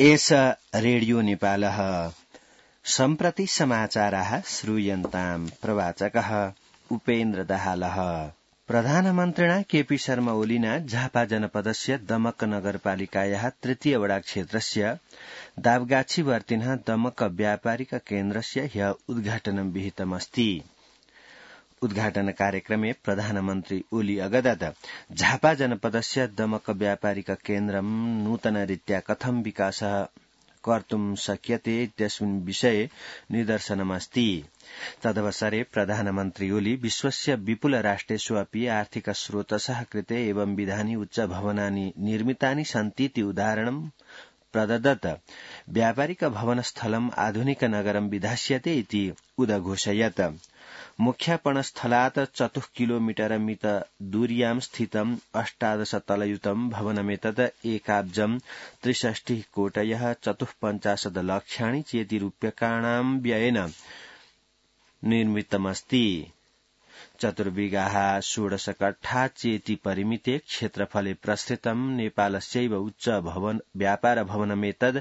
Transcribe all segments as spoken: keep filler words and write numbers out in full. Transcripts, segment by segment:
एष रेडियो नेपालः सम्प्रति समाचाराः श्रूयन्ताम् प्रवाचकः उपेन्द्र दाहालः। प्रधानमन्त्रिणा केपी शर्मा ओलीना झापा जनपदस्य दमक नगरपालिकायाः तृतीय वडा क्षेत्रस्य दावगाछी वर्तिनः दमक व्यापारिक केन्द्रस्य ह्य उद्घाटनं विहितमस्ति। उद्घाटन कार्यक्रमे प्रधानमन्त्री ओली अगदत झापा जनपदस्य दमक व्यापारिक केन्द्रं नूतनरीत्या कथं विकासः कर्तुं शक्यते इत्यस्मिन् विषये निदर्शनमस्ति। तदवसरे प्रधानमन्त्री ओली विश्वस्य विपुल राष्ट्रेषु अपि आर्थिक स्रोतसः कृते एवं विधानि उच्च भवनानि निर्मितानि सन्तीति उदाहरणं प्रददत्। व्यापारिक भवनस्थलम् आधुनिक नगरं विधास्यते इति उदघोषयत्। मुख्यापणस्थलात् चतुः किलोमीटर मित दूर्यां स्थितम् अष्टादश तलयुतं भवनमेतत् एकाब्जम् त्रिषष्टिः कोटयः चतुः पञ्चाशत् लक्षाणि चेति रूप्यकाणां व्ययेन निर्मितमस्ति। चतुर्बिघाः षोडश कट्ठा चेति परिमिते क्षेत्रफले प्रसृतं नेपालस्यैव उच्च भवन व्यापार भवनमेतद्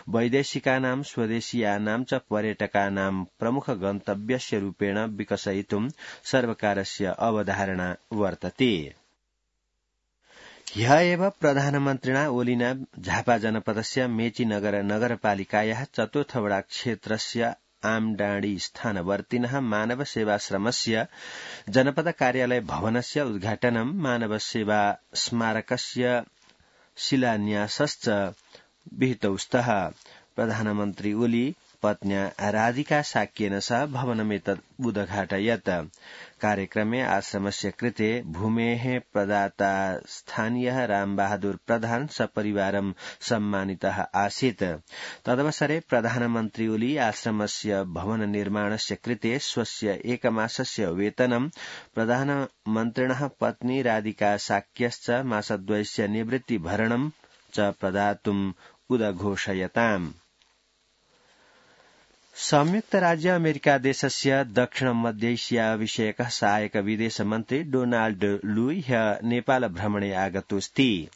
वैदेशिकानां स्वदेशीयानां च पर्यटकानां प्रमुख गन्तव्यस्य रूपेण विकसयितुं सर्वकारस्य अवधारणा वर्तते। ह्यः एव प्रधानमन्त्रिणा ओलिना झापा जनपदस्य मेचीनगर नगरपालिकायाः चतुर्थ वडा क्षेत्रस्य आमडाँडी स्थानवर्तिनः मानव सेवाश्रमस्य जनपद कार्यालय भवनस्य उद्घाटनं मानव सेवा स्मारकस्य शिलान्यासश्च विहितौ स्तः। प्रधानमन्त्री ओली पत्न्या राधिका साक्येन सह भवनमेतत् उद्घाटयत्। कार्यक्रमे आश्रमस्य कृते भूमेः प्रदाता स्थानीयः रामबहादुर प्रधान सपरिवारं सम्मानितः आसीत्। तदवसरे प्रधानमन्त्री ओली आश्रमस्य भवन निर्माणस्य कृते स्वस्य एकमासस्य वेतनं प्रधानमन्त्रिणः पत्नी राधिका साक्यश्च मासद्वयस्य निवृत्तिभरणं च प्रदातुम् उदघोषयताम्। संयुक्त राज्य अमेरिका देशस्य दक्षिण मध्य एशिया विषयकः सहायक विदेश मन्त्री डोनाल्ड लू ह्यः नेपाल भ्रमणे आगतोऽस्ति।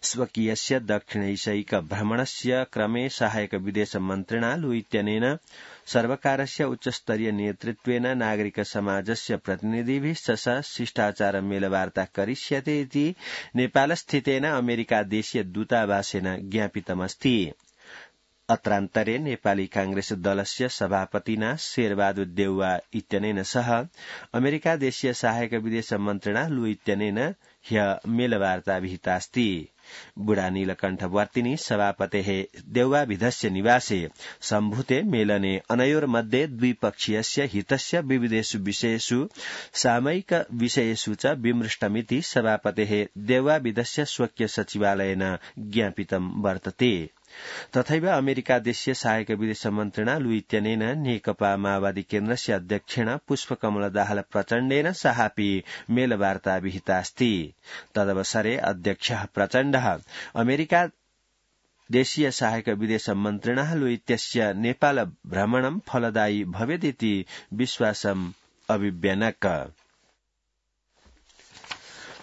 स्वकीयस्य दक्षिण एशियैक भ्रमणस्य क्रमे सहायक विदेश मन्त्रिणा लू इत्यनेन सर्वकारस्य उच्चस्तरीय नेतृत्वेन नागरिक समाजस्य प्रतिनिधिभिः सह शिष्टाचार मेलवार्ता करिष्यते इति नेपालस्थितेन अमेरिका देशीय दूतावासेन ज्ञापितमस्ति। अत्रान्तरे नेपाली कांग्रेस दलस्य सभापतिना शेरबहादुर देउवा इत्यनेन सह अमेरिका देशीय सहायक विदेश मन्त्रिणा लू इत्यनेन ह्यः मेलवार्ता विहितास्ति। बुढा नीलकण्ठवर्तिनी सभापतेः देउवाविधस्य निवासे सम्भूते मेलने अनयोर्मध्ये द्विपक्षीयस्य हितस्य विविधेषु विषयेषु सामयिक विषयेषु च विमृष्टमिति सभापतेः देउवाविधस्य स्वकीय सचिवालयेन ज्ञापितं वर्तते। तथैव अमेरिका देशीय सहायक विदेश मन्त्रिणा लू इत्यनेन नेकपा माओवादी केन्द्रस्य अध्यक्षेण पुष्पकमल दाहाल प्रचण्डेन सहापि मेलवार्ता विहितास्ति। तदवसरे अध्यक्षः प्रचण्डः अमेरिका देशीय सहायक विदेश मन्त्रिणः लू इत्यस्य नेपाल भ्रमणं फलदायी भवेदिति विश्वासम् अभिव्यनक।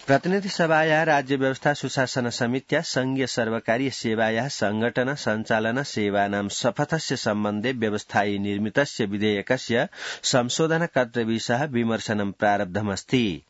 प्रतिनिधि सभाया राज्य व्यवस्था सुशासन समित्या संघीय सर्वकारीय सेवाया संघटन संचालन सेवानां शपथस्य सम्बन्धे व्यवस्थायी निर्मितस्य विधेयकस्य संशोधन कर्तव्यः विमर्शनं प्रारब्धमस्ति।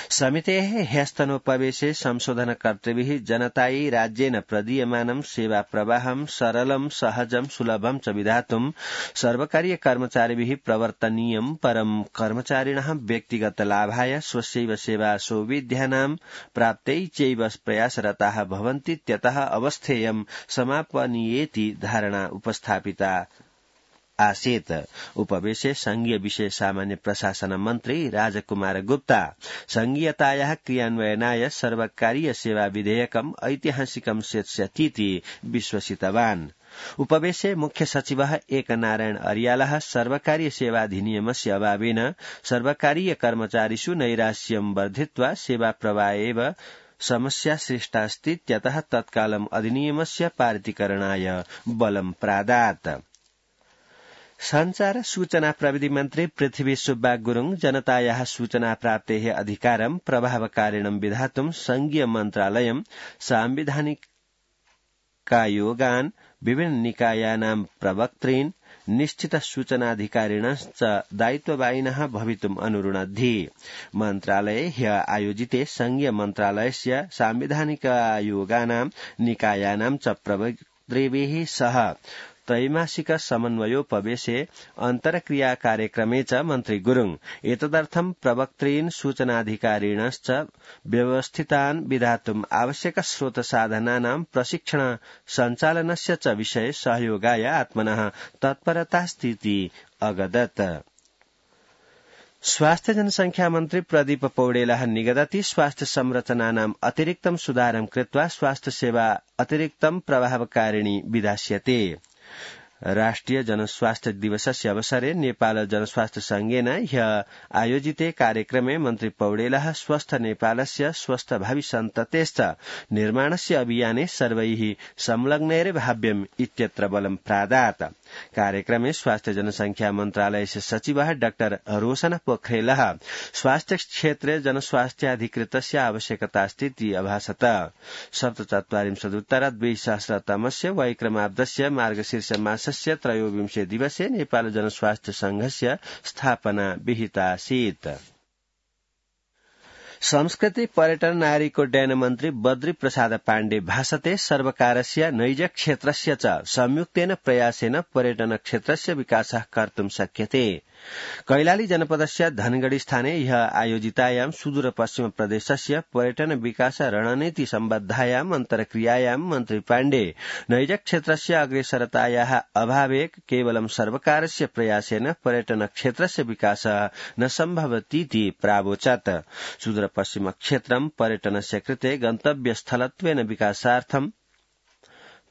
समितेः ह्यस्तनोपवेशे संशोधन कर्तव्यः जनतायै राज्येन प्रदीयमानं सेवा प्रवाहं सरलं सहजं सुलभं च विधातुं सर्वकारीय कर्मचारिभिः प्रवर्तनीयं परं कर्मचारिणः व्यक्तिगत लाभाय स्वस्यैव सेवा सौविध्यानां प्राप्त्यै चैव प्रयासरताः भवन्तीत्यतः अवस्थेयं समापनीयेति धारणा उपस्थापिता आसीत्। उपवेशे संघीय विषय सामान्य प्रशासन मन्त्री राजकुमार गुप्ता संघीयतायाः क्रियान्वयनाय सर्वकारीय सेवा विधेयकम् ऐतिहासिकं सेत्स्यतीति विश्वसितवान्। उपवेशे मुख्य सचिवः एकनारायण अर्यालः सर्वकारीय सेवाधिनियमस्य अभावेन सर्वकारीय कर्मचारिषु नैराश्यं वर्धित्वा सेवा प्रवाह एव समस्या सृष्टास्तीत्यतः तत्कालम् अधिनियमस्य पारितीकरणाय बलं प्रादात्। संचार सूचना प्रविधि मन्त्री पृथ्वी सुब्बा गुरुङ जनतायाः सूचना प्राप्तेः अधिकारं प्रभावकारिणं विधातुं संघीय मन्त्रालयं सांविधानिक योगान् विभिन्न निकायानां प्रवक्तॄन् निश्चित सूचनाधिकारिणश्च दायित्ववाहिनः भवितुम् अनुरुणद्धि। मन्त्रालये ह्य आयोजिते संघीय मन्त्रालयस्य साम्विधानिक आयोगानां निकायानां च प्रवक्तृभिः सह त्रैमासिक समन्वयोपवेशे अन्तर्क्रिया कार्यक्रमे च मन्त्री गुरुङ एतदर्थं प्रवक्तॄन् सूचनाधिकारिणश्च व्यवस्थितान् विधातुम् आवश्यक स्रोत साधनानां प्रशिक्षण सञ्चालनस्य च विषये सहयोगाय आत्मनः तत्परतास्तीति अगदत्। स्वास्थ्य जनसंख्या मन्त्री प्रदीप पौडेलः निगदति स्वास्थ्य संरचनानाम् अतिरिक्तं सुधारं कृत्वा स्वास्थ्य सेवा अतिरिक्तं प्रभावकारिणी विधास्यते। राष्ट्रिय जनस्वास्थ्य दिवसस्य अवसरे नेपाल जनस्वास्थ्य संघेन ह्य आयोजिते कार्यक्रमे मन्त्री पौडेलः स्वस्थ नेपालस्य स्वस्थ भावि सन्ततेश्च निर्माणस्य अभियाने सर्वैः संलग्नैर्भाव्यम् इत्यत्र बलं प्रादात्। कार्यक्रमे स्वास्थ्य जनसंख्या मन्त्रालयस्य सचिवः डाक्टर रोशन पोखरेलः स्वास्थ्य क्षेत्रे जनस्वास्थ्याधिकृतस्य आवश्यकतास्तीति अभासत। सप्तचत्वारिंशदुत्तर द्विसहस्रतमस्य वैक्रमाब्दस्य मार्गशीर्ष मासस्य त्रयोविंशे दिवसे नेपाल जनस्वास्थ्य संघस्य स्थापना विहितासीत्। संस्कृति पर्यटन नागरिकोड्डयन मन्त्री बद्री प्रसाद पाण्डे भाषते सर्वकारस्य नैज क्षेत्रस्य च संयुक्तेन प्रयासेन पर्यटन क्षेत्रस्य विकासः कर्तुं शक्यते। कैलाली जनपदस्य धनगढ़ी स्थाने ह्य आयोजितायां सुदूरपश्चिम प्रदेशस्य पर्यटन विकास रणनीति सम्बद्धायाम् अन्तर्क्रियायां मन्त्री पाण्डे नैज क्षेत्रस्य अग्रेसरतायाः अभावे केवलं सर्वकारस्य प्रयासेन पर्यटन क्षेत्रस्य विकासः न सम्भवतीति प्रावोचत्। सुदूरपश्चिम क्षेत्रं पर्यटनस्य कृते गन्तव्यस्थलत्वेन विकासार्थं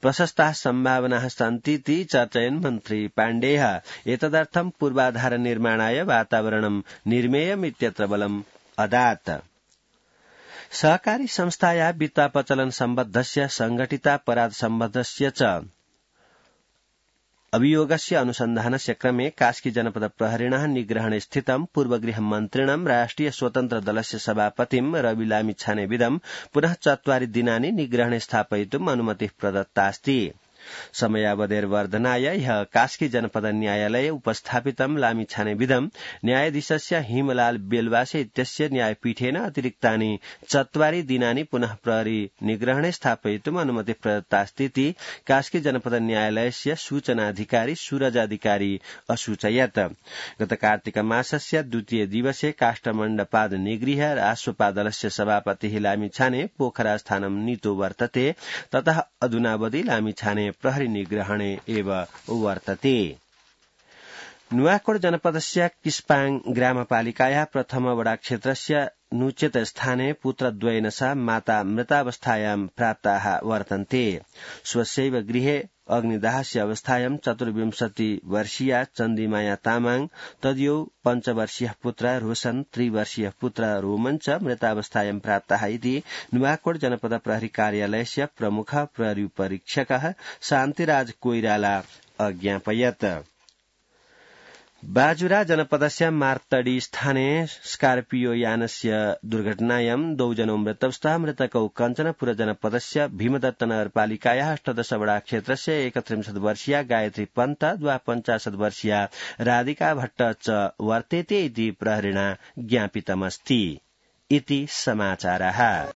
प्रशस्ताः सम्भावनाः सन्तीति चर्चयन् मन्त्री पाण्डेयः एतदर्थं पूर्वाधार निर्माणाय वातावरणं निर्मेयमित्यत्र बलम् अदात्। सहकारी संस्थाया वित्तापचलन सम्बद्धस्य संघटितापराध सम्बद्धस्य च अभियोगस्य अनुसन्धानस्य क्रमे कास्की जनपद प्रहरिणः निग्रहणे स्थितं पूर्वगृह मन्त्रिणं राष्ट्रिय स्वतन्त्र दलस्य सभापतिं रवि लामिछानेविदं पुनः चत्वारि दिनानि निग्रहणे स्थापयितुम् अनुमतिः प्रदत्तास्ति। समयावधिर्वर्धनाय ह्यः कास्की जनपद न्यायालये उपस्थापितं लामिछानेविदं न्यायाधीशस्य हिमलाल बेलवासे इत्यस्य न्यायपीठेन अतिरिक्तानि चत्वारि दिनानि पुनः प्रहरी निग्रहणे स्थापयितुम् अनुमतिः प्रदत्तास्तीति कास्की जनपद न्यायालयस्य सूचनाधिकारी सूरजाधिकारी असूचयत्। गत कार्तिक मासस्य द्वितीय दिवसे काष्ठमण्डपाद निगृह्य राष्ट्रपादलस्य सभापतिः लामिछाने पोखरा स्थानं नीतो वर्तते। ततः अधुनावधि लामिछाने प्रहरी निग्रहणे एव वर्तते। नुवाकोट जनपदस्य किस्पाङ ग्रामपालिकायाः प्रथम वडा क्षेत्रस्य नुचेत स्थाने पुत्रद्वयेन सह माता मृतावस्थायां प्राप्ताः वर्तन्ते। स्वस्यैव गृहे अग्निदाहस्य अवस्थायां चतुर्विंशति वर्षीया चन्दीमाया तामाङ, तद्यौ पञ्चवर्षीयः पुत्र रोशन, त्रिवर्षीयः पुत्र रोमन च मृतावस्थायां प्राप्ताः इति नुवाकोट जनपद प्रहरी कार्यालयस्य प्रमुख प्रहरी परीक्षकः शान्तिराज कोइराला अज्ञापयत्। बाजुरा जनपदस्य मार्तडी स्थाने स्कार्पियो यानस्य दुर्घटनायां द्वौ जनौ मृतवस्था। मृतकौ कञ्चनपुर जनपदस्य भीमदत्त नगरपालिकायाः अष्टादश वडा क्षेत्रस्य एकत्रिंशत् वर्षीया गायत्री पन्त, द्वापञ्चाशत् वर्षीया राधिका भट्ट च वर्तेते इति प्रहरिणा ज्ञापितमस्ति। इति समाचारः।